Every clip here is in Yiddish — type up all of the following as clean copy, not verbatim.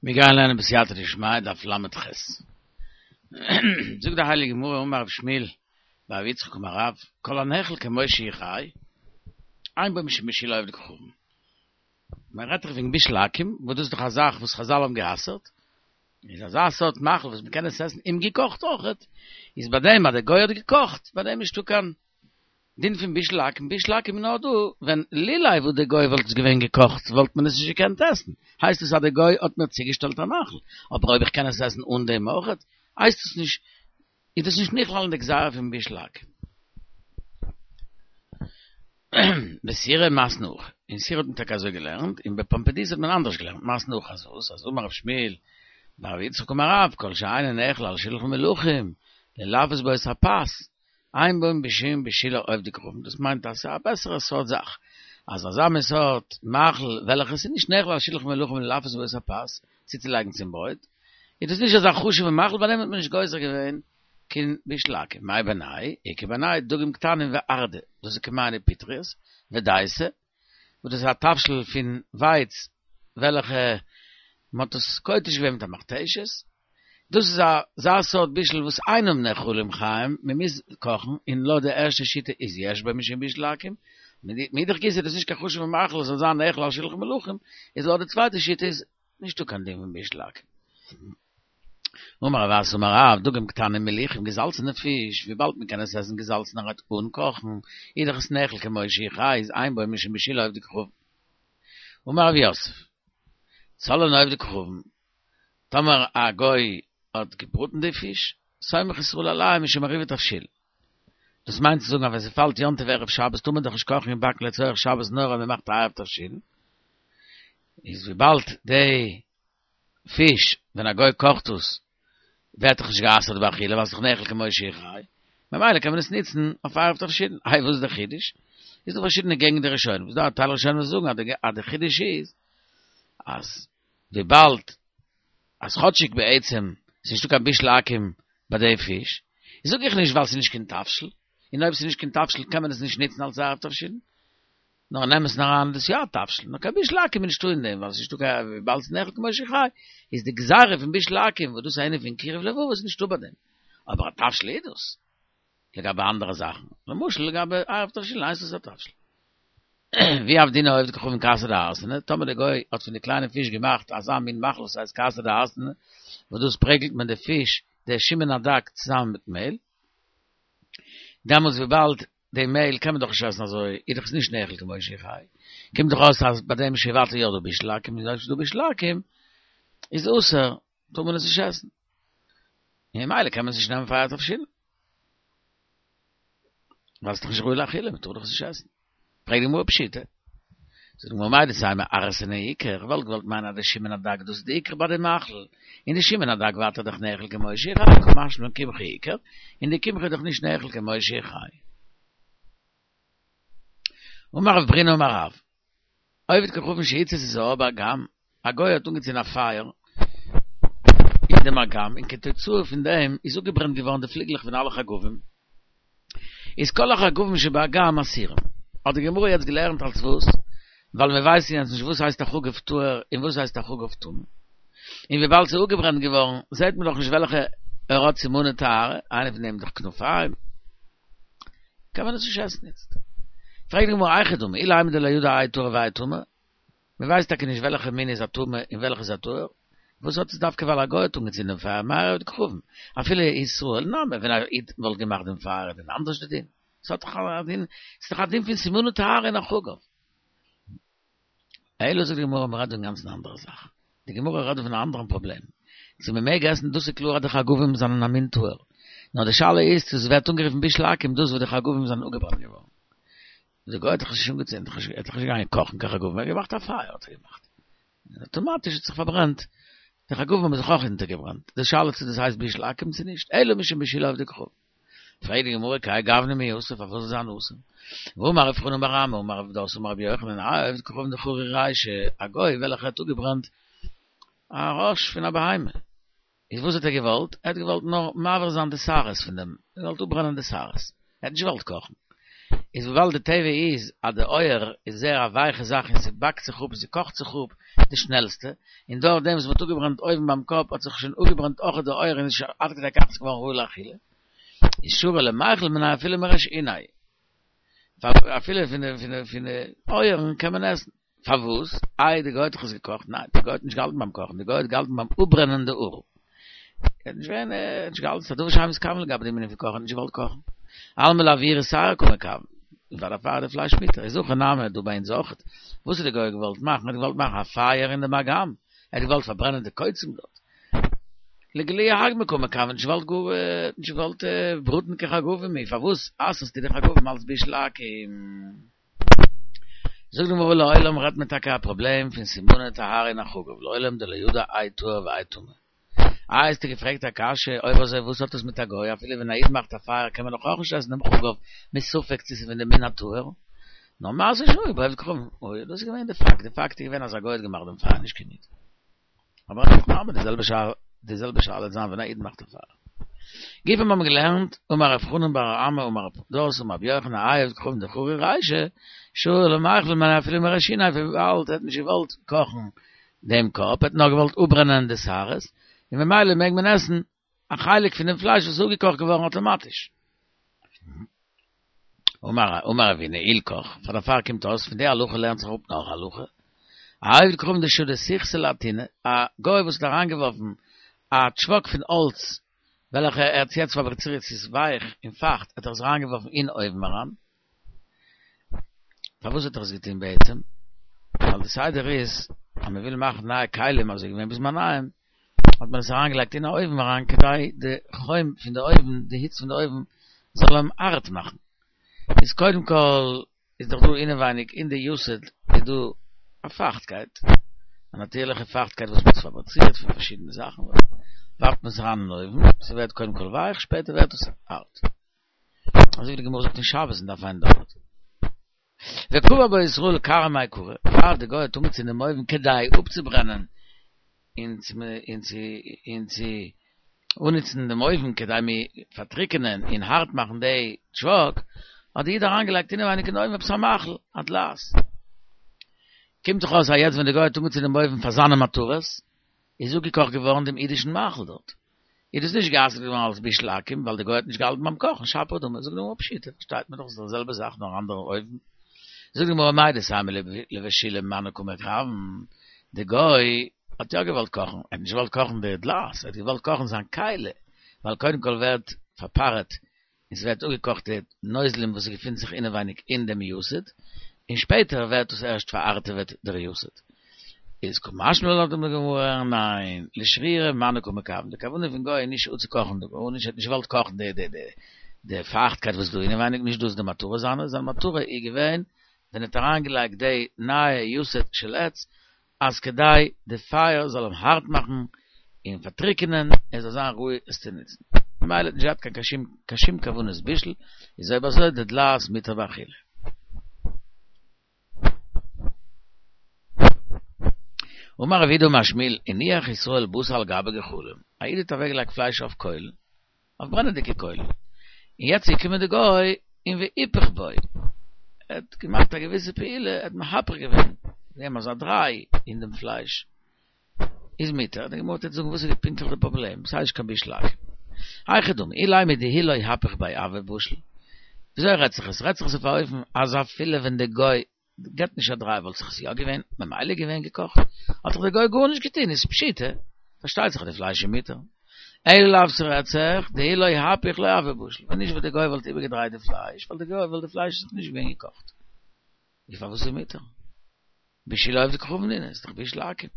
מיר גייען לערנען בסייעתא דשמיא דף ל"ח. זאגט די הייליגע גמרא אמר רב שמואל בר יצחק אמר רב, כל הנאכל כמו שהוא חי, אין בו משום בישולי עובדי כוכבים. מען רעדט דאך וועגן בישול עכו"ם, וואס דאס איז דאך א זאך וואס חזל האבן גע'אסר'ט, איז אזא סארט מאכל וואס מען קען עס עסן אומגעקאכט אויכעט, איז ביי דעם אז דער גוי האט געקאכט, ביי דעם נישטא קיין דין פון בישול עכו"ם, בישול עכו"ם איז נאר דא ווען לולא וואס די גוי וואלט עס געווען געקאכט וואלט מען עס נישט געקענט עסן, הייסט עס אז די גוי האט מיר צוגעשטעלט א מאכל, אבער אויב איך קען עס עסן אן דעם אויכעט, הייסט עס נישט, איז דאס נישט נכלל אין די גזירה פון בישול עכו"ם. בסורא מתני הכי, אין סורא האט מען טאקע אזוי געלערנט, און בפומבדיתא האט מען אנדערש געלערנט, מתני הכי אז וואס, אז אמר רב שמואל בר יצחק אמר רב, כל שאינו נאכל על שלחן מלכים, ללפת בו את הפת, אין בו משום בישולי עובדי כוכבים, דאס מיינט אז ס'איז א בעסערע סארט זאך, אז אזא מין סארט מאכל וועלכע ס'איז נישט נאכל על שלחן מלכים ללפת בו את הפת, צוצולייגן צום ברויט, איז דאס נישט אזא חשוב'ע מאכל ביי דעם האט מען נישט גוזר געווען קיין בישול עכו"ם. מאי בינייהו? איכא בינייהו דגים קטנים וארדא, דאס איז כמהין ופטריות, ודייסה, וואס דאס איז א תבשיל פון ווייץ וועלכע מען האט עס כותש געווען מיט א מכתשת, דאס איז אזא סארט בישול וואס אינם נאכלים חיים, מען מוז קאכן, און לויט די ערשטע שיטה איז יש בו משום בישול עכו"ם, מאידך גיסא איז דאס נישט קיין חשוב'ע מאכל עס זאל זיין נאכל על שלחן מלכים, איז לויט די צווייטע שיטה איז נישטא קיין דין פון בישול עכו"ם. אמר רב אסי אמר רב, דגים קטנים מליחים געזאלצענע פיש, וויבאלד מען קען עס עסן געזאלצענערהייט אן קאכן, איז דאך עס נאכל כמו שהוא חי, איז אין בו משום בישולי עובדי כוכבים. אמר רב יוסף, צלאן עובדי כוכבים, טאמער א גוי האט געבראטן די פיש, סומך ישראל עליהם משום עירובי תבשילין. דאס מיינט צו זאגן אז ווען ס'פאלט יום טוב ערב שבת טאר מען דאך נישט קאכן און באקן לצורך שבת נאר אויב מ'מאכט א עירוב תבשילין, איז וויבאלד די פיש ווען א גוי קאכט עס ווערט דאך נישט גע'אסר'ט באכילה ווייל ס'איז דאך נאכל כמו שהוא חי, ממילא קען מען עס ניצן אויף עירוב תבשילין. איי וואס איז די חידוש? איז דא פארשידענע געגנט די ראשונים, איז דא א טייל ראשונים וואס זאגן אז די חידוש איז אז וויבאלד אז כאטשיג בעצם ס'איז נישטא קיין בישול עכו"ם ביי די פיש, זאג איך נישט ווייל ס'איז נישט קיין תבשיל, און אויב ס'איז נישט קיין תבשיל קען מען עס נישט ניצן אלס עירוב תבשילין, נאר אין אמת'ן אריין איז דאס יא א תבשיל, נאר קיין בישול עכו"ם איז נישטא אין דעם, ווייל ס'איז נישטא קיין, וויבאלד ס'איז נאכל כמו שהוא חי, איז די גזירה פון בישול עכו"ם וואס דאס איז א ענין פון קירוב לבבות איז נישטא ביי דעם, אבער א תבשיל איז דאס, לגבי אנדערע זאכן, למשל לגבי עירוב תבשילין הייסט עס א תבשיל. ואי עבדינהו עובדי כוכבים כסא דהרסנא, טאמער די גוי האט פון די קליינע פיש געמאכט אזא מין מאכל וואס הייסט כסא דהרסנא, וואס דאס פרעגלט מען די פיש, די שומן הדג צוזאמען מיט מעהל, דעמאלטס וויבאלד די מעהל קען מען דאך נישט עסן אזוי, איז דאך עס נישט נאכל כמו שהוא חי, קומט דאך אויס אז ביי דעם איז שוין ווייטער יא דא בישול עכו"ם, און אויב ס'איז דא בישול עכו"ם איז אסור, טאר מען עס נישט עסן, און ממילא קען מען עס נישט נעמען פאר עירוב תבשילין. ווייל ס'איז דאך נישט ראוי לאכילה, מ'טאר דאך עס נישט עסן. פרעגט די גמרא פשיטא. זאגט די גמרא מהו דתימא ערסנא עיקר, איך וואלט געוואלט מיינען אז די שומן הדג דאס איז די עיקר ביי די מאכל, און די שומן הדג ווייטער דאך נאכל כמו שהוא חי, קא משמע לן קמחא עיקר, און די קמחא איז דאך נישט נאכל כמו שהוא חי. אמר רב ברינא אמר רב, עובד כוכבים שהצית את האור באגם, א גוי האט אנגעצינדן א פייער אין דעם אגם, און כתוצאה פון דעם איז אפגעברענט געווארן די פליגלעך פון אלע חגבים, איז כל החגבים שבאגם אסורים. האט די גמרא יעצט געלערנט אלס וואס? ווייל מיר ווייסן יעצט נישט וואס הייסט א חגב טהור און וואס הייסט א חגב טמא. און וויבאלד ס'איז אפגעברענט געווארן זעט מען דאך נישט וועלכע ער האט סימני טהרה, איינע פון דעם איז דאך כנפיים. קען מען עס נישט עסן איצט. פרעגט די גמרא היכי דמי, אילימא דלא ידע האי טהור והאי טמא, מען ווייסט טאקע נישט וועלכע מין איז א טמא און וועלכע איז א טהור, וואס האט עס דווקא ווייל א גוי האט אנגעצינדען דעם פייער, מאי עובד כוכבים, אפילו ישראל נמי, ווען א איד וואלט געמאכט דעם פייער איז דען אנדערש די דין? עס האט דאך א דין, עס איז דאך א דין פון סימני טהרה אין א חגב. אלא זאגט די גמרא מען רעדט דא אינגאנצן א אנדערע זאך, די גמרא רעדט דא פון א אנדערן פראבלעם, צו מען מעג עסן דאס איז קלאר אז די חגבים זענען א מין טהור, נאר די שאלה איז צו עס ווערט אנגערופן בישול עכו"ם דאס וואס די חגבים זענען אפגעברענט געווארן. די גוי האט דאך נישט אנגעצינדן, ער האט דאך נישט געגאנגען קאכן קיין חגבים, ער האט געמאכט א פייער האט ער געמאכט, און אטאמאטיש האט זיך פארברענט, די חגבים האבן זיך אויך אונטערגעברענט, די שאלה צו דאס הייסט בישול עכו"ם צו נישט, אלא משום בישולי עובדי כוכבים. פרעגט די גמרא כהאי גוונא מי אסור פארוואס זאל זיין אסור? והאמר רב חנן בר אמי אמר רב פדת אמר רבי יוחנן האי עובד כוכבים דחרי רישא, א גוי וועלכער האט אפגעברענט א ראש פון א בהמה, איז וואס האט ער געוואלט? ער האט געוואלט נאר מבער זיין די שערות פון דעם, ער האט געוואלט אפברענען די שערות, ער האט נישט געוואלט קאכן. איז וויבאלד די טבע איז אז די עור איז זייער א ווייכע זאך און ס'באקט זיך אפ און ס'קאכט זיך אפ, די שנעלסטע, און דורך דעם וואס מ'האט אפגעברענט אויבן ביים קאפ האט זיך שוין אפגעברענט אויך די אויער און איז שוין עד כדי כך געווארן ראוי לאכילה. איז שרי למיכל מיניה אפילו מריש אוניה. אפילו פון די פון די פון די אויערן קען מען עסן. פארוואס? איי די גוי האט דאך עס געקאכט? ניין, די גוי האט נישט געהאלטן ביים קאכן, די גוי האט געהאלטן ביים אפברענען די האר. ער האט נישט געווען, ער האט נישט געהאלטן, ס'איז א דבר שאין מתכוין לגבי דעם ענין פון קאכן, ער האט נישט געוואלט קאכן. אלמא לאויורי שערה קא מכוון. און פאר דערפאר איז די פלייש מותר. איז הכא נמי דא ביי אונז אויכעט. וואס האט די גוי געוואלט מאכן? ער האט געוואלט מאכן א פייער אין דעם אגם. ער האט געוואלט פארברענען די קוצים דארט. לגלויי הגמא קא מכוון, נישט געוואלט גאר, נישט געוואלט בראטן קיין חגבים. פארוואס אסר'סטו די חגבים אלס בישול עכו"ם? זאגט די גמרא לעולם רעדט מען טאקע א פראבלעם פון סימני טהרה אין א חגב, לעולם דלא ידע האי טהור והאי טמא. איי האסטו געפרעגט א קשיא, אויב אזוי וואס האט עס מיט א גוי, אפילו ווען א איד מאכט א פייער קען מען דאך אויך נישט עסן דעם חגב מספק צו ס'איז פון די מין הטהור, נאר מעשה שהיה בעובד כוכבים, אוי דאס איז געווען די פאקט, די פאקט איז געווען אז א גוי האט געמאכט דעם פייער נישט קיין איד. אבער אין הכי נמי די זעלבע שאלה, די זעלבע שאלה וועט זיין ווען א איד מאכט א פייער. גופא מיר האבן געלערנט, אמר רב חנן בר אמי אמר רב פדת אמר רבי יוחנן האי עובד כוכבים דחרי רישיה, שרי למיכל מיניה אפילו מריש אוניה וויבאלד ער האט נישט געוואלט קאכן דעם קאפ, ער האט נאר געוואלט אפברענען די שערות, און ממילא מעג מען עסן א חלק פון דעם פלייש וואס איז אפגעקאכט געווארן אטאמאטיש. אמר אמר רבינא הלכך, פאר דערפאר קומט אויס פון די הלכה לערנט זיך אפ נאך א הלכה, א עובד כוכבים דשדי סיכתא לאתונא, א גוי וואס האט אריינגעווארפן א טשוואק פון האלץ וועלכע ער האט יעצט פאבריצירט ס'איז ווייך און פייכט האט ער עס אריינגעווארפן אין אויוון אריין, פארוואס האט ער עס געטון בעצם? ווייל די סדר איז אז מען וויל מאכן נייע כלים אזוי געווען בזמניהם האט מען עס אריינגעלייגט אין א אויוון אריין כדי די חום פון די אויוון די היץ פון די אויוון זאל אים הארט מאכן, איז קודם כל איז דאך דא אינעווייניג אין די יתד איז דא א פייכטקייט, א נאטירליכע פייכטקייט וואס ווערט פאבריצירט פון פארשידענע זאכן, ווארפט מען עס אריין אין אויוון, ס'ווערט קודם כל ווייך שפעטער ווערט עס הארט. אזוי ווי די גמרא זאגט אין שבת אין דף ע"ד. וקבר בו ישראל כרעא מעיקרא, פאר די גוי האט אנגעצינדן דעם אויוון כדי אפצוברענען און צו און צו און צו אנהיצן דעם אויוון כדי מ פארטריקענען און הארט מאכן די טשוואק, האט די איד אריינגעלייגט אינעווייניג אין אויוון עפעס א מאכל, א דלעת. קומט זיך אויס אז יעצט ווען די גוי האט אנגעצינדן דעם אויוון פאר זיינע מטרות, איז אפגעקאכט געווארן דעם אידישן מאכל דארט. איז דאס נישט גע'אסר'ט געווארן אלס בישול עכו"ם, ווייל די גוי האט נישט געהאלטן ביים קאכן, שפיר דמי, זאגט די גמרא פשיטא, פארשטייט מען דאך ס'איז די זעלבע זאך נאר אנדערע אויוון. זאגט די גמרא מהו דתימא לבשולי מנא קא מכוון, די גוי האט יא געוואלט קאכן, ער האט נישט געוואלט קאכן די דלעת, ער האט געוואלט קאכן זיין כלי, ווייל קודם כל ווערט פארפארעט און ס'ווערט אפגעקאכט די נוזלים וואס געפינט זיך אינעווייניג אין דעם יתד, און שפעטער ווערט דאס ערשט פארהארטעוועט דער יתד. איז קא משמע לן זאגט די גמרא, ניין, לשרויי מנא קא מכוון, די כוונה פון גוי איז נישט אפצוקאכן די גארנישט, ער האט נישט געוואלט קאכן די די די די פייכטקייט וואס איז דא אינעווייניג, נישט דאס די מטרה זיינע, זיין מטרה איז געווען ווען ער האט אריינגעלייגט די נייע יתד של עץ, אז כדי די פייער זאל אים הארט מאכן און פארטריקענען, ער זאל זיין ראוי עס צו נוצן. ממילא האט נישט געהאט קיין שום קיין שום כוונת בישול, איז אויב אזוי די דלעת מותר באכילה. אמר רב יהודה אמר שמואל, הניח ישראל בשר על גבי גחלים, א איד האט אוועקגעלייגט פלייש אויף קוילן, אויף ברענעדיגע קוילן, און יעצט איז געקומען די גוי און והיפך בו, ער האט געמאכט א געוויסע פעולה, ער האט מהפך געווען, געגעבן אזא דריי אין דעם פלייש, איז מותר, די גמרא טוט זאגן וואס איז פונקטליך די פראבלעם, ס'איז נישט קיין בישול עכו"ם. היכי דמי, אילימא דאי לא היפך ביה הוה בשיל, וויאזוי רעדט זיך עס? רעדט זיך עס אויף א אופן אז אפילו ווען די גוי געבט נישט א דריי וואלט זיך עס יא געווען ממילא געווען געקאכט, האט דאך דער גוי גארנישט געטון איז פשיטא, פארשטייט זיך אז די פלייש איז מותר. אלא לאו ס'רעדט זיך דאי לא היפך לא הוה בשיל, ווען נישט וואלט די גוי וואלט איבערגעדרייט די פלייש וואלט די גוי וואלט די פלייש זיך נישט געווען געקאכט. איז פארוואס איז מותר? בישולי עובדי כוכבים נינהו, איז דאך בישול עכו"ם.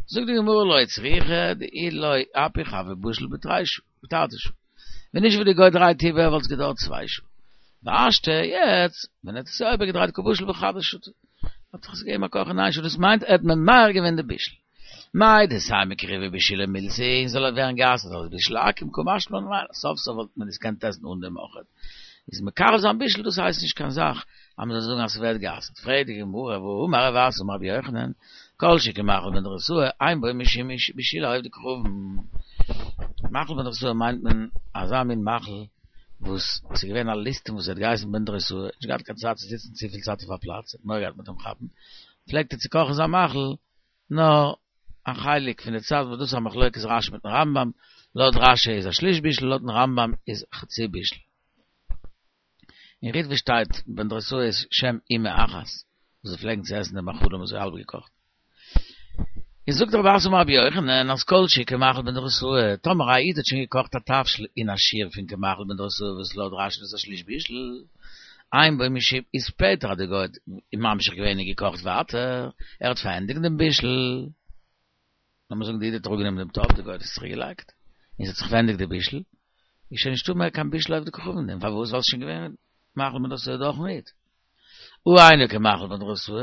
זאגט די גמרא לא צריכא דאי לא היפך הוה בשיל בתרי שעה, בתרתי שעה. ווען נישט וואס די גוי דרייט איבער וואלט עס געדויערט צוויי שעה. והשתא יעצט ווען ער האט עס יא איבערגעדרייט קא בשיל בחדא שעתא. האט זיך עס געגעבן א קאך אין איין שעה דאס מיינט ער האט ממהר געווען די בישול. מהו דתימא קרובי בישולי מילתא הוא זאל ער ווערן גע'אסר'ט אלס בישול עכו"ם קא משמע לן ניין סוף סוף וואלט מען עס געקענט עסן אן דעם אויכעט. איז מקרב זיין בישול דאס הייסט נישט קיין זאך אז מען זאל זאגן אז ס'ווערט גע'אסר'ט. פרעגט די גמרא והאמר רב אסי אמר רבי יוחנן כל שכן מאכל בן דרוסאי אין בו משום בישולי עובדי כוכבים. מאכל בן דרוסאי מיינט מען אזא מין מאכל וואס ס'איז געווען א ליסטים וואס האט געהייסן בן דרוסאי, נישט געהאט קיין צייט צו זיצן צופיל צייט אויף א פלאץ, האט מורא געהאט מ'וועט אים כאפן, פלעגט ער צו קאכן זיין מאכל. נאר א חלק פון די צייט וואס דאס איז א מחלוקת רשי מיטן רמב"ם, לויט רשי איז א שליש בישול לויטן רמב"ם איז חצי בישול. אין ריטב"א שטייט בן דרוסאי איז שם אימא אחת וואס זיי פלעגן צו עסן די מאכלים אזוי האלב געקאכט. איז זאגט רב אסי אמר רבי יוחנן אז כל שהוא כמאכל בן דרוסאי, טאמער א איד האט שוין געקאכט א תבשיל אין א שיעור פון כמאכל בן דרוסאי וואס לויט רשי איז דאס א שליש בישול, אין בו משום איז שפעטער האט די גוי ממשיך געווען און געקאכט ווייטער, ער האט פארענדיגט דעם בישול, לאמיר זאגן די איד האט אראפגענומען דעם טאפ, די גוי האט עס צוריק געלייגט, און ס'האט זיך פארענדיגט די בישול, איז שוין נישטא מער קיין בישול עובדי כוכבים דעם, פארוואס? ווייל ס'איז שוין געווען מאכל בן דרוסאי דורכן איד. הא אינו כמאכל בן דרוסאי,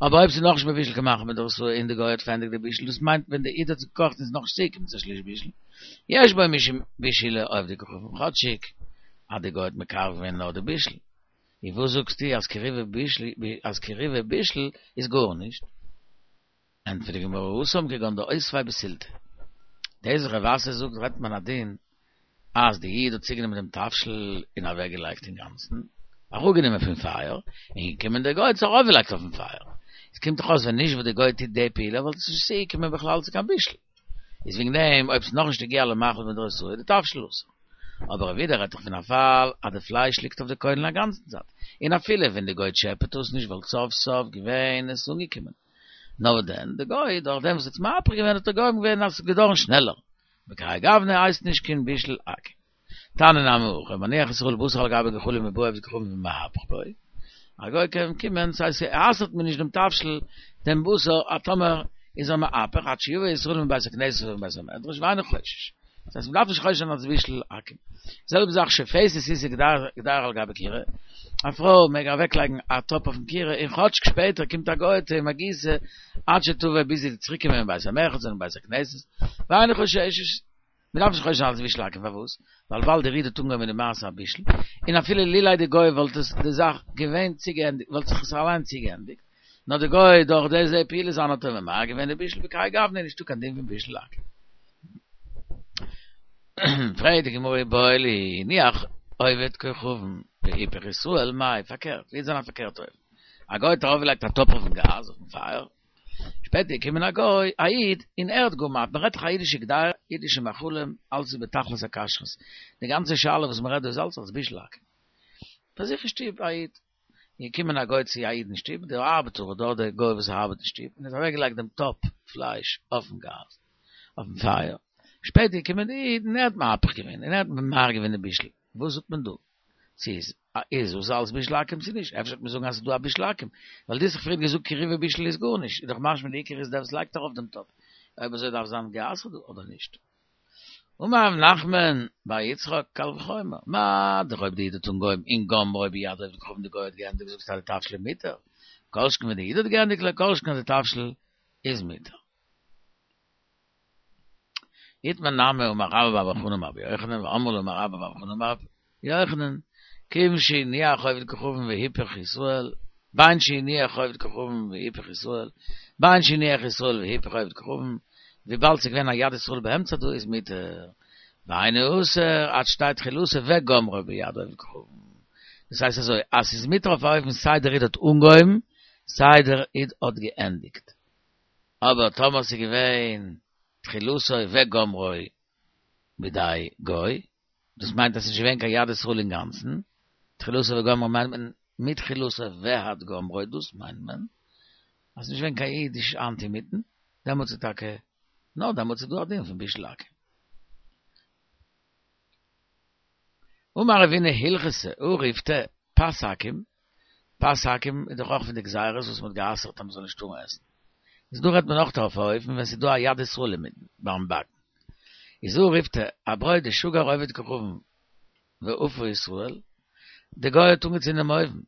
אבער אויב ס'איז נאכנישט מבושל כמאכל בן דרוסאי און די גוי האט פארענדיגט די בישול, דאס מיינט ווען די איד האט עס געקאכט און ס'איז נאכנישט צוגעקומען צו א שליש בישול, יש בו משום בישולי עובדי כוכבים, כאטשיג אז די גוי האט מקרב געווען נאר די בישול. און וואס זאגסטו אז קירובו בישול אז קירובו בישול איז גארנישט? ענטפערט די גמרא התם כגון דאותביה בסילתא. דאס וואס רב אסי זאגט רעדט מען א דין אז די איד האט צוגענומען דעם תבשיל און אוועק געלייגט אינגאנצן, אראפגענומען פון פייער, און געקומען דער גוי האט עס ארויפגעלייגט אויפן פייער. עס קומט דאך אויס ווען נישט וואס די גוי טוט די פעולה וואלט עס נישט צוגעקומען בכלל צו קיין בישול. איז וועגן דעם אויב ס'איז נאכנישט הגיע למאכל בן דרוסאי איז די תבשיל אסור. אבער רב יהודה רעדט דאך פון א פאל אז די פלייש ליגט אויף די קוילן א גאנצן צייט, און אפילו ווען די גוי טשעפעט עס נישט וואלט סוף סוף געווען עס אנגעקומען. נאר וואס דען, די גוי דורך דעם וואס האט עס מהפך געווען האט ער גורם געווען אז עס איז געדארן שנעלער. בכהאי גוונא הייסט נישט קיין בישול עכו"ם. תניא נמי הכי, מניח ישראל בשר על גבי גחלים ובא עובד כוכבים ומהפכו בו. א גוי קען קומען, ס'הייסט ס'אסר'ט מיר נישט דעם תבשיל, דעם בשר, א טאמער איז ער מהפך עד שיבא ישראל מבית הכנסת ומבית המדרש ואינו חושש. דאס הייסט מ'דארף נישט חושש זיין אלס בישול עכו"ם. זעלבע זאך שופתת אישה קדירה על גבי כירה, א פרוי מעג אוועקלייגן א טאפ אויפן כירה און כאטש שפעטער קומט א גוי'טע ומגיתה עד שתבא ביז זי וועט צוריקקומען מבית המרחץ און מבית הכנסת, ואינה חוששת. מ'דארף נישט חושש זיין אלס בישול עכו"ם פארוואס? ווייל ווייל דער איד האט אנגעהויבן די מעשה הבישול, און אפילו לולא די גוי וואלט עס די זאך געווען צוגעענדיגט וואלט זיך עס אליין צוגעענדיגט, נאר די גוי דורך די זי פעולה זיינע האט ער ממהר געווען די בישול בכהאי גוונא איז נישטא קיין דין פון בישול עכו"ם. פרעגט די גמרא איבעיא להו הניח עובד כוכבים והיפך ישראל מאי פארקערט ווי איז זיין א פארקערטע אופן א גוי האט ארויפגעלייגט א טאפ אויפן גאז אויפן פייער שפעטער געקומען א גוי א איד און ער האט גאר מען רעדט דאך א אידישע קדירה אידישע מאכלים אלס איז בתכלית הכשרות די גאנצע שאלה וואס מען רעדט דא איז אלס אלס בישול עכו"ם ביי זיך אין שטוב א איד איז געקומען א גוי צו א איד אין שטוב, דער ארבעטער אדער דער גוי וואס ארבעט אין שטוב, און האט אוועקגעלייגט דעם טאפ פלייש אויפן גאז, אויפן פייער, שפעטער איז געקומען די איד און ער האט מהפך געווען, און ער האט ממהר געווען די בישל, וואס זאגט מען דא? צו איז איז עס אלס בישול עכו"ם צו נישט? אפשר וועט מען זאגן אז ס'איז דא א בישול עכו"ם, ווייל דו האסט דאך פריער געזאגט קירובו בישול איז גארנישט, איז דאך משמע די עיקר איז דער וואס לייגט ארויף דעם טאפ, אויב אזוי דארף זיין גע'אסר'ט דא אדער נישט? אמר רב נחמן בר יצחק קל וחומר, מה דאך אויב די איד האט אנגעהויבן און גמרו ביד עובד כוכבים די גוי האט געענדיגט זאגסטו אז די תבשיל איז מותר, כל שכן ווען די איד האט געענדיגט לא כל שכן אז די תבשיל איז מותר. איתמר נמי אמר רבה בר בר חנה אמר רבי יוחנן ואמרי לה אמר רבה בר בר חנה אמר רבי יוחנן כיוון שהניח עובד כוכבים והיפך ישראל בין שהניח עובד כוכבים והיפך ישראל בין שהניח ישראל והיפך עובד כוכבים וויבאלד ס'איז געווען א יד ישראל באמצע דא איז מותר ואינו אסור עד שתהא תחילתו וגמרו ביד עובד כוכבים דאס הייסט אזוי אז ס'איז מותר אויף א אופן סיי דער איד האט אנגעהויבן סיי דער איד האט געענדיגט אבער טאמער ס'איז געווען תחילתו וגמרו בידי גוי דאס מיינט אז ס'איז נישט געווען קיין יד ישראל אינגאנצן, תחילתו וגמרו מיינט מען מתחילתו ועד גמרו, דאס מיינט מען אז ס'איז נישט געווען קיין אידיש האנט אינמיטן, דעמאלטס איז טאקע, נאר דעמאלטס איז דא א דין פון בישול עכו"ם. אמר רבינא הלכתא הא ריפתא פת עכו"ם, פת עכו"ם איז דאך אויך פון די גזירות וואס מ'האט גע'אסר'ט אז מ'זאל נישט טארן עסן. איז דא רעדט מען אויך אויף א אופן ווען ס'איז דא א יד ישראל אינמיטן ביים באקן. איז הא ריפתא א ברויט דשגר עובד כוכבים ואפה ישראל, די גוי האט אנגעצינדן דעם אויוון,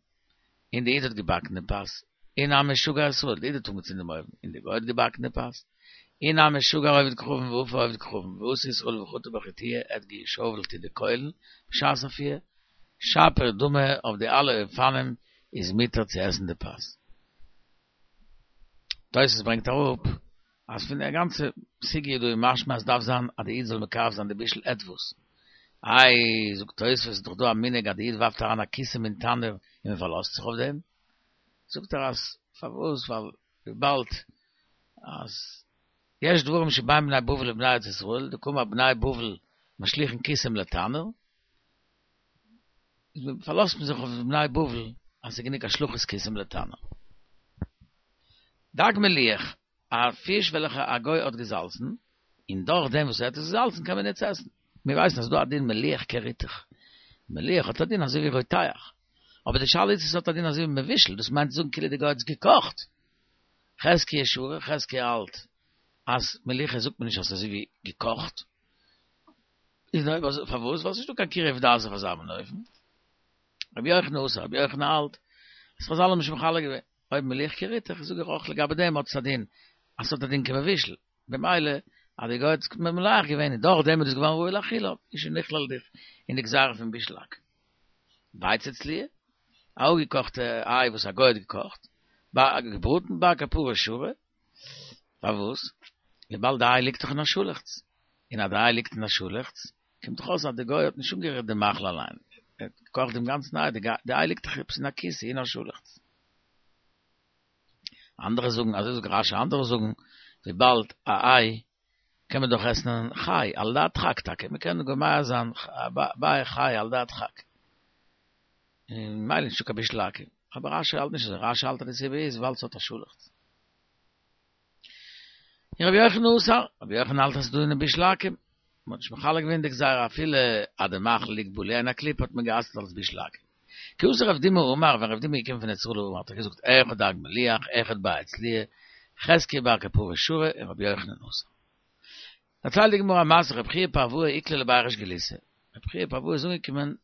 און די איד האט געבאקן דעם פת, אי נמי שגר ישראל, די איד האט אנגעצינדן דעם אויוון, און די גוי האט געבאקן די פת, אי נמי שגר עובד כוכבים ואפה עובד כוכבים, ואתא ישראל וחטא בחיטויי, ער האט געשאוועלט אין די קוילן בשעת אפייה, שפיר דמי אויף די אלע אופנים איז מותר צו עסן די פת. תוס' ברענגט אראפ אז פון די גאנצע סוגיא דא איז משמע אז דארף זיין אז די איד זאל מקרב זיין די בישול עטוואס. איי, זאגט תוס' איז דאך דא א מנהג אז די איד ווארפט אריין א קיסם אין תנור און מען פארלאזט זיך אויף דעם. זאגט ער אז פארוואס ווייל וויבאלד. אז יש דברים שבין בני בבל לבני ארץ ישראל, דקאמר בני בבל משליכין קיסם לתנור, איז פארלאזט מען זיך אויף בני בבל אז ס'איז גענוג השלכת קיסם לתנור. דג מליח, א פיש וועלכע א גוי האט געזאלצן, און דורך דעם וואס ער האט עס געזאלצן קען מען יעצט עסן. מיר ווייסן אז ס'דא א דין מליח כריתוך. מליח האט א דין אזוי ווי רותח. אבער די שאלה איז צו ס'האט א דין אזוי ווי מבושל, דאס מיינט צו זאגן כאילו די גוי האט עס געקאכט. חזקיה שרי, חזקיה האלט אז מליחה זאגט מען נישט אז ס'איז אזוי ווי געקאכט. איז אויב אזוי פארוואס? ווייל ס'נישטא קיין קירוב דעת אויף אזא מין אופן. רבי יוחנן אסר, רבי יוחנן האלט אז חזל האבן נישט מחלק געווען. אויב מליח כריתוך, זאג איך אויך לגבי דעם האט עס א דין אז ס'האט א דין כמבושל. במילא אז די גוי האט עס ממלח געווען און דורך דעם איז עס געווארן ראוי לאכילה, איז שוין נכלל דיך אין די גזירה פון בישול עכו"ם. ביצה צלויה, א אפגעקאכטע איי וואס א גוי האט געקאכט, געבראטן בר כפרה שרי, פארוואס? וויבאלד די איי ליגט דאך אין א שאלעכץ, און אז די איי ליגט אין א שאלעכץ, קומט דאך אויס אז די גוי האט נישט אנגערירט די מאכל אליין, ער האט געקאכט דעם גאנצן איי, די איי ליגט דאך עפעס אין א כיסוי אין א שאלעכץ. אנדערע זאגן, אזוי זאגט רש"י, אנדערע זאגן, וויבאלד א איי קען מען דאך עסן חי, על ידי הדחק טאקע, מען קען גומע זיין ביעי חי על ידי הדחק, און ממילא נישטא קיין בישול עכו"ם, אבער רש"י האלט נישט אזוי, רש"י האלט אז די סיבה איז ווייל ס'האט א שאלעכץ. און רבי יוחנן אסר, רבי יוחנן האלט אז ס'איז דא אין דעם בישול עכו"ם, מ'האט נישט מחלק געווען די גזירה אפילו אז די מאכל ליגט בלוע אין א קליפה האט מען גע'אסר'ט אלס בישול עכו"ם. כי אתא רב דימי אמר, ווען רב דימי איז געקומען פון ארץ ישראל אמר האט ער געזאגט אחד דג מליח אחד ביצה צלויה, חזקיה בר כפרה שרי און רבי יוחנן אסר. דערציילט די גמרא א מעשה רב חייא פרואי איקלע לבי ריש גלותא, רב חייא פרואי איז אנגעקומען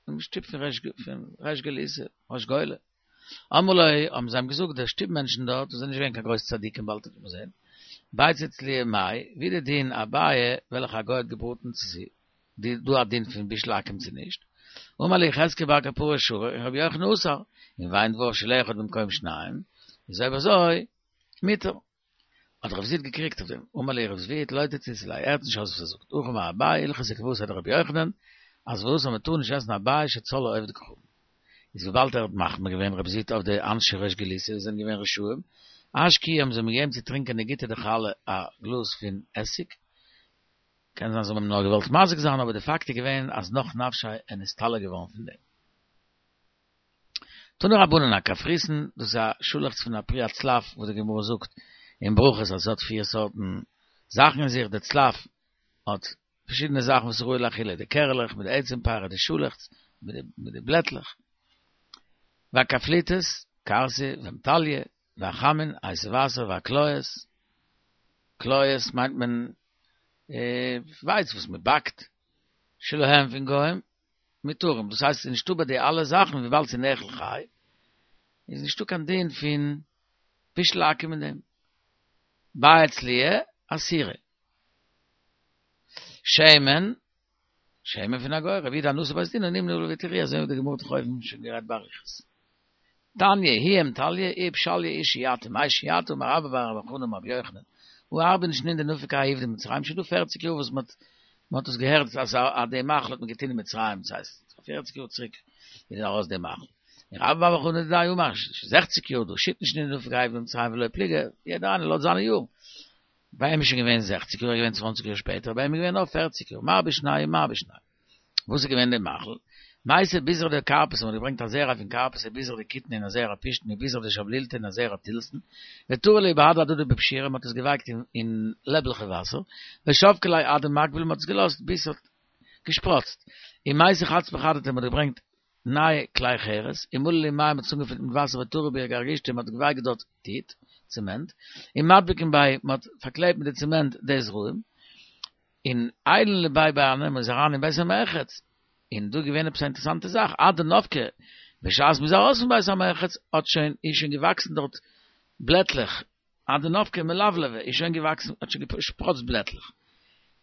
אין שטוב פון ריש גלותא, ריש גולה, אמרו ליה, האבן זיי אים געזאגט, די שטוב מענטשן דארט, וואס זענען נישט געווען קיין גרויסע צדיקים באלד וועט מען זען, ביצה צלויה מאי, ווי די דין א ביעא וועלכע א גוי האט געבראטן צו ס'איז דא א דין פון בישול עכו"ם צו נישט, אמרו ליה חזקיה בר כפרה שרי און רבי יוחנן אסר, און ואין דבר של אחד במקום שניים, איז אויב אזוי מותר. האט רב זביד געקריגט אויף דעם, אמר להו רב זביד לא תציתו ליה, הערט נישט אויס וואס ער זאגט, הכי אמר אביי, הלכתא כוותיה דרבי יוחנן, אז וואס אז מען טאר נישט עסן א ביעא שצלאוה עובד כוכבים. איז וויבאלד ער האט מחמיר געווען רב זביד אויף די אנשי ריש גלותא וואס זענען געווען רשעים, אשקוהו האבן זיי אים געגעבן צו טרינקען נגיטא דחלא א גלאז פון עסיג, קען זיין זיי האבן אים נאר געוואלט מזיק זיין אבער די פאקט איז געווען אז נח נפשיה איז נסתלק געווארן פון דעם. תנו רבנן הקפריסין, דאס איז א שאלעכץ פון א פרי הצלף וואס די גמרא זאגט אין ברכות אז עס האט פיר סארטן זאכן אין זיך, די צלף האט פארשידענע זאכן וואס איז ראוי לאכילה, די קערעלעך מיט די עצם פרי, די שאלעכץ מיט די בלעטלעך, והקפליטות, כרסי ואמטליא, והחמין, הייסע וואסער, והקליות, קליות מיינט מען ווייץ וואס מען באקט, שלהם פון גוים, מותרים, דאס הייסט ס'איז נישטא ביי די אלע זאכן וויבאלד ס'איז נאכל חי, איז נישטא קיין דין פון בישול עכו"ם אין דעם. ביצה צלויה, אסורה. שמן, שמן פון א גוי, רבי יהודה נשיא בית דינא נמנה עליו והתירוהו, אזוי ווי די גמרא האט דאך אויבן שוין גערעדט באריכות. תניא היא אמטליא איהי פשליא איהי שייטא מאי שייטא אמר רבה בר בר חנה אמר רבי יוחנן הא ארבעין שנין דנפק האי עובדא במצרים שוין דא פערציג יאר וואס מ'האט מ'האט עס געהערט אז אז די מאכל האט מען געטון אין מצרים דאס הייסט פערציג יאר צוריק איז ארויס די מאכל און רבה בר בר חנה דידיה אמר זעכציג יאר דא שיתין שנין דנפק האי עובדא במצרים ולא פליגי יעדער איינער לויט זיינע יארן ביי אים איז שוין געווען זעכציג יאר ער איז געווען צוואנציג יאר שפעטער ביי אים איז געווען נאר פערציג יאר מר בשנייהו מר בשנייהו וואס איז געווען די מאכל? מייתי ביזרא דכרפסא, מ'האט געברענגט א זרע פון כרפס וביזרא דקיטנא און א זרע פשתן וביזרא דשבלילתא און א זרע תילסן, וטרו להו בהדי הדדי בפשירא, מ'האט עס געווייקט אין לעבלעכע וואסער, ושבקו ליה עד דמקביל, מ'האט עס געלאזט ביז ס'האט געשפראצט, ומייתי חצבי חדתא, מ'האט געברענגט נייע כלי חרס, ומלו להו מיא, מ'האט עס אנגעפילט מיט וואסער וטרו בהו גרגושתא, מ'האט געווייקט דארט טיט, צעמענט, ומדבקין ביה, מ'האט פארקלעבט מיט די צעמענט די זרעים, און עיילין לבי בארנא מ'איז אריין אין בית המרחץ, און דא איז געווען עפעס א אינטערעסאנטע זאך, עד דנפקי, בשעת מ'איז ארויס פון בית המרחץ האט שוין, איז שוין געוואקסן דארט בלעטלעך, עד דנפקי מלבלבי, איז שוין געוואקסן, האט שוין געשפראצט בלעטלעך,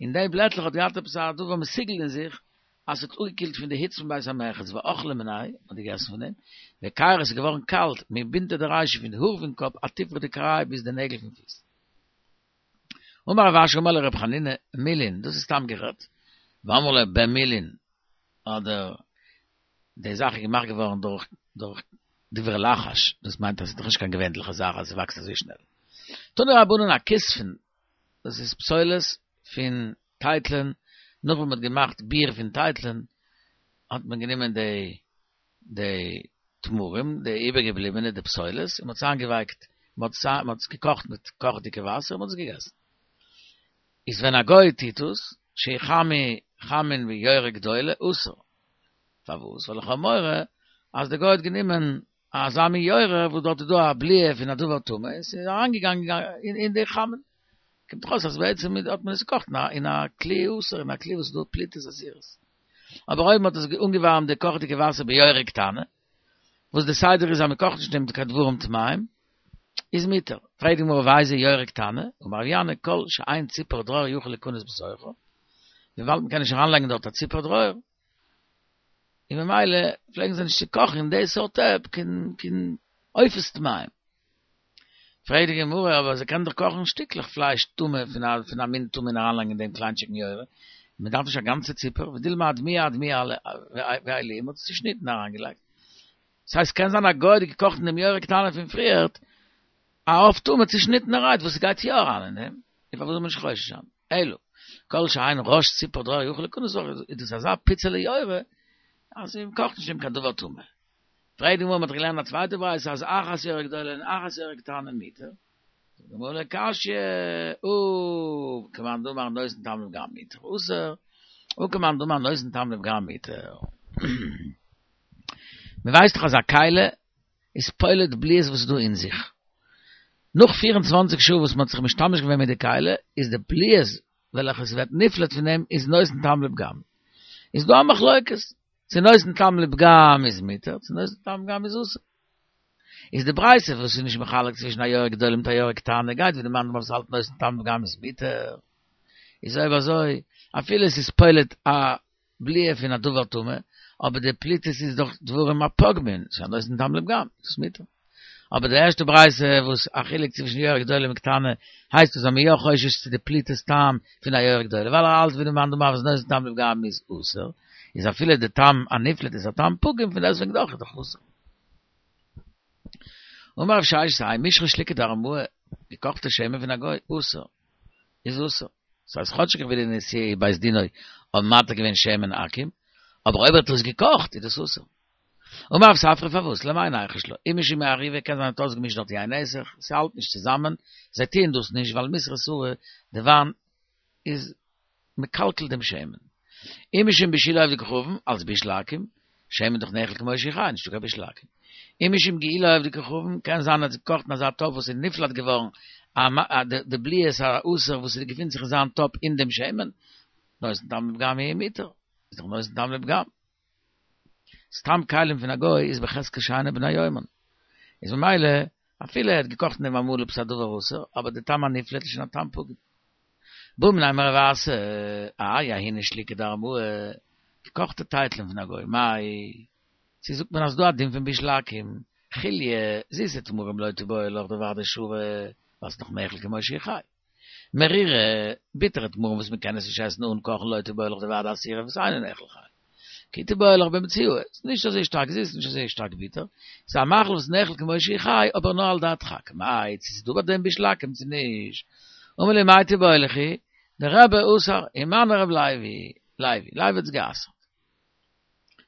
און די בלעטלעך האט געהאט עפעס א דבר מסוגל אין זיך, אז ס'האט אפגעקילט פון די היץ פון בית המרחץ, ואכלי מיניה, מ'האט געגעסן פון דעם, וקיירי עס איז געווארן קאלט, מבינטא דרישא פון די האר פון קאפ עד תפרא דכרעיא ביז די נעגל פון פיס. אמר רב אשי אמר לי רב חנינא מילין, דאס איז סתם גערעדט, ואמרי לה במילין, אדער די זאך איז געמאכט געווארן דורך דורך דברי לחש, דאס מיינט אז עס איז דאך נישט קיין געווענליכע זאך אז עס וואקסט אזוי שנעל. תנו רבנן הכיספין, דאס איז פסולת פון טייטלען, נאך ווען מען האט געמאכט ביר פון טייטלען, האט מען גענומען די די תמרים, די איבערגעבליבענע, די פסולת, און מען האט עס איינגעווייקט, מען האט עס געקאכט מיט קאכעדיגע וואסער און מען האט עס געגעסן. איז ווען א גוי טוט עס, שיחמו חמין ביורה גדולה, אסור. פארוואס? ווייל איך האב מורא אז די גוי האט גענומען אזא מין יורה וואס דארט איז דא א בליעה פון א דבר טמא און ס'איז אריינגעגאנגען אין די חמין. קומט דאך אויס אז בעצם האט מען עס געקאכט אין א כלי אסור, אין א כלי וואס איז דא פליטות אסורות. אבער אויב מ'האט עס אנגעווארעמט די קאכעדיגע וואסער ביורה קטנה, וואס די סדר איז אז מ'קאכט נישט אין דעם קיין דברים טמאים, איז מותר. פרעגט די גמרא ואיזו יורה קטנה, אמר רב ינאי כל שאין ציפור דרור יכול להיכנס בתוכה, וויבאלד מ'קען נישט אריינלייגן דארט א ציפור דרור, און ממילא פלעגן זיי נישט צו קאכן אין די סארט טעפ קיין קיין עופות טמאים. פרעגט די גמרא, אבער זיי קענען דאך קאכן שטיקלעך פלייש טמא פון א פון א מין טמא און אריינלייגן אין דעם קליינטשיגן יורה, מען דארף נישט א גאנצע ציפור, ודילמא אדמויי אדמויי עילויה, מען האט עס צושניטן און אריינגעלייגט. ס'הייסט ס'קען זיין א גוי האט געקאכט אין דעם יורה קטנה פון פריערט א עוף טמא צושניטענערהייט וואס ס'גייט יא אריין אין דעם, און פארוואס זאל מען נישט חושש זיין? אלא, כל שאין ראש ציפור דרור יכול להיכנס איז דאס אזא פיצעלע יורה אז מען קאכט נישט אין דעם קיין דבר טמא. פרעגט די גמרא, מען האט געלערנט א צווייטע ברייתא אז אחת יורה גדולה און אחת יורה קטנה מותר. זאגט די גמרא לא קשיא, הא כמאן דאמר נותן טעם לפגם מותר אסור, הא כמאן דאמר נותן טעם לפגם מותר. מען ווייסט דאך אז א כלי איז פולט בליעות וואס איז דא אין זיך. נאך 24 שעה וואס מען האט זיך משתמש געווען מיט די כלי, איז די בליעות וועלכע עס ווערט נפלט פון דעם איז נותן טעם לפגם. איז דא א מחלוקת, צו נותן טעם לפגם איז מותר, צו נותן טעם לפגם איז אסור. איז די ברייתא וואס איז נישט מחלק צווישן א יורה גדולה מיט א יורה קטנה גייט ווי די מאן דאמר וואס האלט נותן טעם לפגם איז מותר. איז אויב אזוי אפילו עס איז פולט א בליעה פון א דבר טמא, אבער די פליטות איז דאך דברים הפוגמין, ס'איז א נותן טעם לפגם, איז עס מותר. אבער די ערשטע ברייתא וואס א חילוק צווישן יורה גדולה און קטנה, הייסט עס אז מ'איז יא חושש צו די פליטות טעם פון א יורה גדולה, ווייל ער האלט ווי די מאן דאמר וואס נותן טעם לפגם איז אסור, איז אפילו די טעם הנפלט איז א טעם פגום פון דעסוועגן דאך איז דאך אסור. אמר רב ששת, האי משחא שליקא דארמאי, געקאכטע שמן פון א גוי, אסור, איז אסור. ס'הייסט כאטשיג ווי די נשיאי בית דינו האבן מתיר געווען שמן עכו"ם, אבער אויב ער האט עס געקאכט איז דאס אסור. אמר רב ספרא פארוואס? למאי ניחוש לה? אי משום עירובי קען זיין ער האט אויסגעמישט דארט יין נסך, ס'האלט נישט צוזאמען, זיי טוען דאס נישט ווייל מיסרא סרי די וויין איז מקלקל דעם שמן. אי משום בישולי עובדי כוכבים, אלס בישול עכו"ם, שמן דאך נאכל כמו שהוא חי, נישטא קיין בישול עכו"ם. אי משום גיעולי עובדי כוכבים, קען זיין ער האט געקאכט אין אזא טאפ וואס איז נפלט געווארן די בליעות האסור וואס איז געפינט זיך אין זיין טאפ אין דעם שמן, נותן טעם לפגם הוא מותר, איז דאך נותן טעם לפגם. סתם כלים פון א גוי איז בחזקת שאינן בני יומן. איז ממילא אפילו ער האט געקאכט אין דעם אמאל עפעס א דבר אסור, אבער די טעם הנפלט איז שוין א טעם פגום. בעא מיניה מרב אסי, האי ההיא שליקא דארמאי, געקאכטע טייטלען פון א גוי, מאי, צו זאגט מען אז ס'דא א דין פון בישול עכו"ם, חיליא, זיסע תמרים לא תיבעי לך דודאי שרי, ווייל ס'איז דאך נאכל כמו שהוא חי. מרירי, ביטערע תמרים וואס מ'קען עס נישט עסן אן קאכן לא תיבעי לך דודאי אסירי וואס אינו נאכל חי. כי תיבעי לך במציעאי, ס'איז נישט אזוי שטארק זיס נישט אזוי שטארק ביטער, ס'איז א מאכל וואס נאכל כמו שהוא חי אבער נאר על דעת דחק, מאי צו ס'איז דא ביי דעם בישול עכו"ם צו נישט. אמר ליה מאי תיבעי לכו, דרבי אסר, ומנו רב לוי, לוי, לוי האט עס גע'אסר'ט.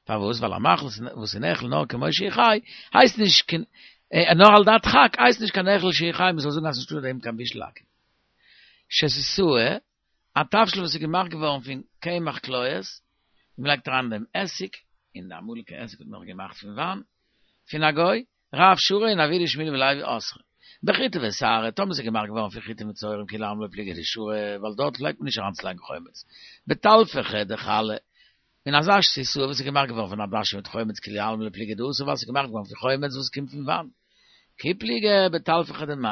פארוואס? ווייל א מאכל וואס איז נאכל נאר כמו שהוא חי, הייסט נישט קיין, נאר על דעת דחק, הייסט נישט קיין נאכל שהוא חי, מ'זאל זאגן אז ס'נישטא אין דעם קיין בישול עכו"ם. שתיתאי, א תבשיל וואס איז געמאכט געווארן פון קמח קליות, און מ'לייגט אריין אין דעם עסיג, און די אמאליגע עסיג האט מען נאך געמאכט פון וויין, פון א גוי, רב שרי און אבוה דשמואל ולוי אסרי. בחיטי ושערי, טאמער ס'איז געמאכט געווארן פון חיטים און שעורים כולי עלמא לא פליגי דשרי, ווייל דארט פלעגט מען נישט אריינצולייגן חומץ. בטלפחי דחלה, און אזא שתיתאי וואס איז געמאכט געווארן פון עדשים מיט חומץ כולי עלמא לא פליגי דאסור ווייל ס'איז געמאכט געווארן פון חומץ וואס קומט פון וויין. כי פליגי בטלפחי דמיא,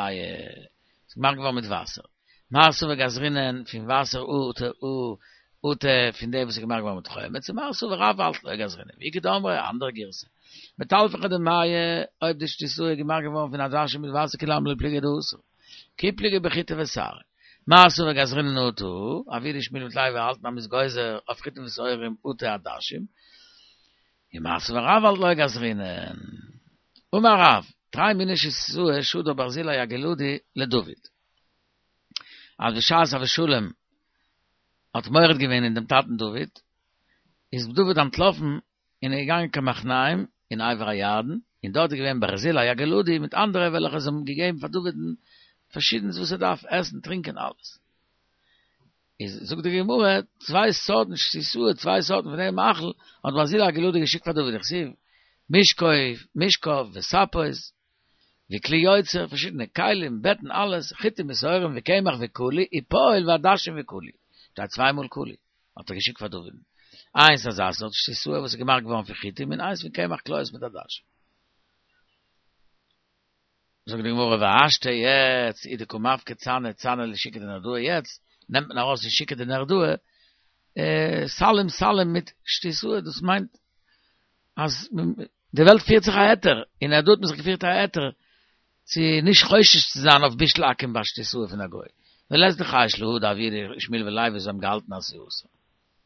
ס'איז געמאכט געווארן מיט וואסער. מר סבר גזרינן פון וואסער אטו אטו פון דעם וואס איז געמאכט געווארן מיט חומץ און מר סבר רב האלט לא גזרינן ואיכא דאמרי א אנדערע גירסא בטלפחי דמיא אויב די שתיתאי איז געמאכט געווארן פון עדשים מיט וואסער כולי עלמא לא פליגי דאסור כי פליגי בחיטי ושערי מר סבר גזרינן אטו אבוה דשמואל מיט לוי האלטן אז מ'איז גוזר אויף חיטים ושעורים אטו עדשים און מר סבר רב האלט לא גזרינן אמר רב. תרי מיני שיתסואה שדר ברזילי הגלעדי לדוד. אז בשעת אבשלום האט מורד געווען אין דעם טאטן דוד, איז דוד אנטלאפן און איז געגאנגען קיין מחניים אין עבר הירדן, און דארט איז געווען ברזילי הגלעדי מיט אנדערע וועלכע זיי האבן געגעבן פאר דוד'ן פארשידענס וואס ער דארף, עסן, טרינקען, אלעס. איז זאגט די גמרא, צוויי סארטן שיתסואה, צוויי סארטן פון דעם מאכל, האט ברזילי הגלעדי געשיקט פאר דוד, דכתיב, משכב, משכב וספות, וכלי יוצר, פארשידענע כלים, בעטן, אלעס, חיטים ושעורים וקמח וקלי, ופועל ועדשים וקלי. שטייט צוויי מאל קלי, האט ער געשיקט פאר דוד'ן. איינס אזא סארט שיתסואה וואס איז געמאכט געווארן פון חיטים, און איינס פון קמח קליות מיט עדשים. זאגט די גמרא והשתא יעצט הוא דקא מפקי צנא צנא לשוקא דנהרדעא יעצט נעמט מען ארויס אין שוקא דנהרדעא סלים סלים מיט שיתסואה דאס מיינט אז די וועלט פירט זיך א היתר אין נהרדעא האט מען זיך געפירט א היתר צו נישט חושש צו זיין אויף בישול עכו"ם ביי שיתסואה פון א גוי ולית דחייש להא דאבוה דשמואל ולוי וואס זיי האבן געהאלטן אז ס'איז אסור.